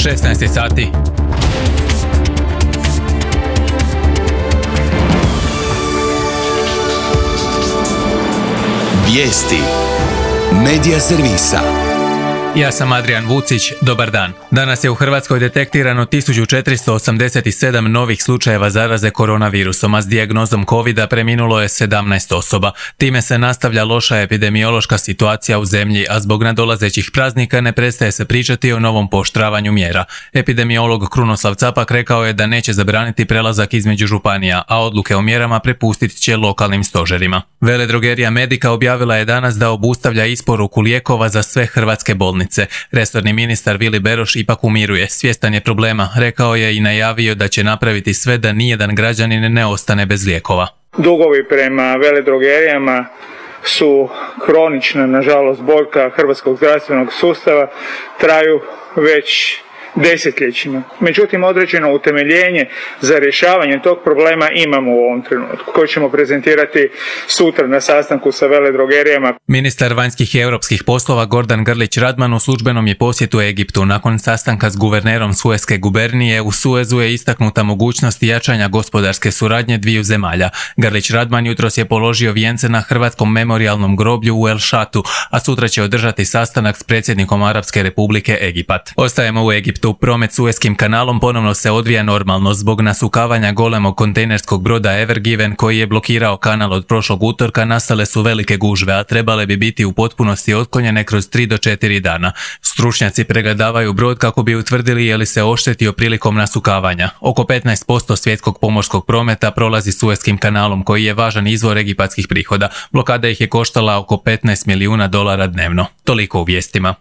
16 sati. Vijesti Medija servisa. Ja sam Adrian Vucić, dobar dan. Danas je u Hrvatskoj detektirano 1487 novih slučajeva zaraze koronavirusom, a s dijagnozom covida preminulo je 17 osoba. Time se nastavlja loša epidemiološka situacija u zemlji, a zbog nadolazećih praznika ne prestaje se pričati o novom pooštravanju mjera. Epidemiolog Krunoslav Capak rekao je da neće zabraniti prelazak između županija, a odluke o mjerama prepustit će lokalnim stožerima. Veledrogerija Medica objavila je danas da obustavlja isporuku lijekova za sve hrvatske bolnice. Resorni ministar Vili Beroš ipak umiruje, svjestan je problema, rekao je i najavio da će napraviti sve da nijedan građanin ne ostane bez lijekova. Dugovi prema veledrogerijama su kronična, nažalost, boljka hrvatskog zdravstvenog sustava, traju već desetljećima. Međutim, određeno utemeljenje za rješavanje tog problema imamo u ovom trenutku, koji ćemo prezentirati sutra na sastanku sa veledrogerijama. Ministar vanjskih i europskih poslova Gordan Grlić Radman u službenom je posjetu Egiptu. Nakon sastanka s guvernerom Sueske gubernije u Suezu je istaknuta mogućnost jačanja gospodarske suradnje dviju zemalja. Grlić Radman jutros je položio vijence na hrvatskom memorijalnom groblju u El Šatu, a sutra će održati sastanak s predsjednikom Arapske republike Egipat. Ostajemo u Egiptu. Promet Sueskim kanalom ponovno se odvija normalno zbog nasukavanja golemog kontejnerskog broda Ever Given koji je blokirao kanal od prošlog utorka. Nastale su velike gužve, a trebale bi biti u potpunosti otklonjene kroz 3 do 4 dana. Stručnjaci pregledavaju brod kako bi utvrdili je li se oštetio prilikom nasukavanja. Oko 15% svjetskog pomorskog prometa prolazi Sueskim kanalom koji je važan izvor egipatskih prihoda. Blokada ih je koštala oko $15 milijuna dnevno. Toliko u vijestima.